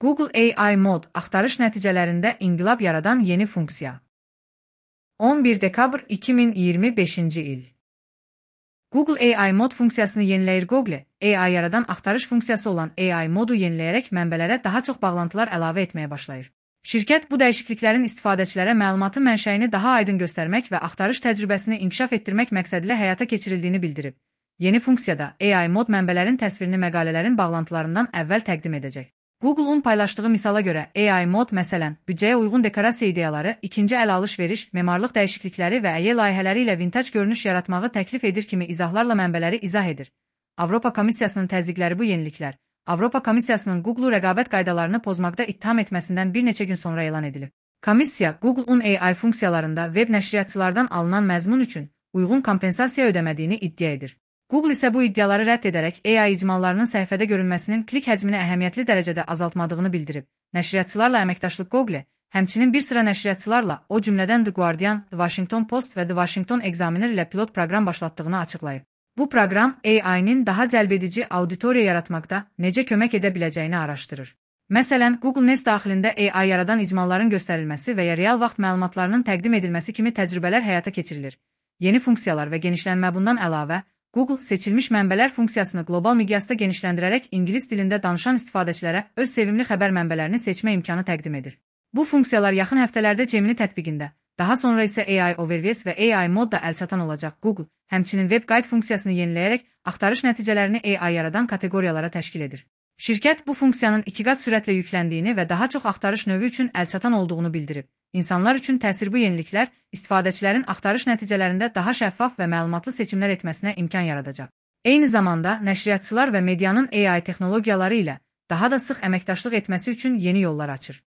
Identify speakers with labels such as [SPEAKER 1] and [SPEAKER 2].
[SPEAKER 1] Google AI Mod axtarış nəticələrində inqilab yaradan yeni funksiya. 11 dekabr 2025-ci il. Google AI Mod funksiyasını yeniləyir. Google AI yaradan axtarış funksiyası olan AI modu yeniləyərək mənbələrə daha çox bağlantılar əlavə etməyə başlayır. Şirkət bu dəyişikliklərin istifadəçilərə məlumatın mənşəyini daha aydın göstərmək və axtarış təcrübəsini inkişaf etdirmək məqsədilə həyata keçirildiyini bildirib. Yeni funksiyada AI mod mənbələrin təsvirini məqalələrin bağlantılarından əvvəl təqdim edəcək. Google-un paylaşdığı misala görə AI mod məsələn, büdcəyə uyğun dekorasiya ideyaları, ikinci əl alış-veriş, memarlıq dəyişiklikləri və ƏY layihələri ilə vintaj görünüş yaratmağı təklif edir kimi izahlarla mənbələri izah edir. Avropa Komissiyasının təzyiqləri. Bu yeniliklər Avropa Komissiyasının Google-u rəqabət qaydalarını pozmaqda ittiham etməsindən bir neçə gün sonra elan edilib. Komissiya, Google-un AI funksiyalarında web nəşriyyatçılardan alınan məzmun üçün uyğun kompensasiya ödəmədiyini iddia edir. Google isə bu iddiaları rədd edərək AI icmallarının səhifədə görünməsinin klik həcmini əhəmiyyətli dərəcədə azaltmadığını bildirib. Nəşriyyatçılarla əməkdaşlıq. Google həmçinin bir sıra nəşriyyatçılarla, o cümlədən The Guardian, The Washington Post və The Washington Examiner ilə pilot proqram başlatdığını açıqlayıb. Bu proqram AI-nin daha cəlbedici auditoriya yaratmaqda necə kömək edə biləcəyini araşdırır. Məsələn, Google Nest daxilində AI yaradan icmalların göstərilməsi və ya real vaxt məlumatlarının təqdim edilməsi kimi təcrübələr həyata keçirilir. Yeni funksiyalar və genişlənmə. Bundan əlavə, Google seçilmiş mənbələr funksiyasını qlobal miqyasda genişləndirərək ingilis dilində danışan istifadəçilərə öz sevimli xəbər mənbələrini seçmə imkanı təqdim edir. Bu funksiyalar yaxın həftələrdə Gemini tətbiqində, daha sonra isə AI Overviews və AI modda əlçatan olacaq. Google həmçinin Web Guide funksiyasını yeniləyərək axtarış nəticələrini AI yaradan kateqoriyalara təşkil edir. Şirkət bu funksiyanın 2 qat sürətlə yükləndiyini və daha çox axtarış növü üçün əlçatan olduğunu bildirib. İnsanlar üçün təsir. Bu yeniliklər istifadəçilərin axtarış nəticələrində daha şəffaf və məlumatlı seçimlər etməsinə imkan yaradacaq. Eyni zamanda nəşriyyatçılar və medianın AI texnologiyaları ilə daha da sıx əməkdaşlıq etməsi üçün yeni yollar açır.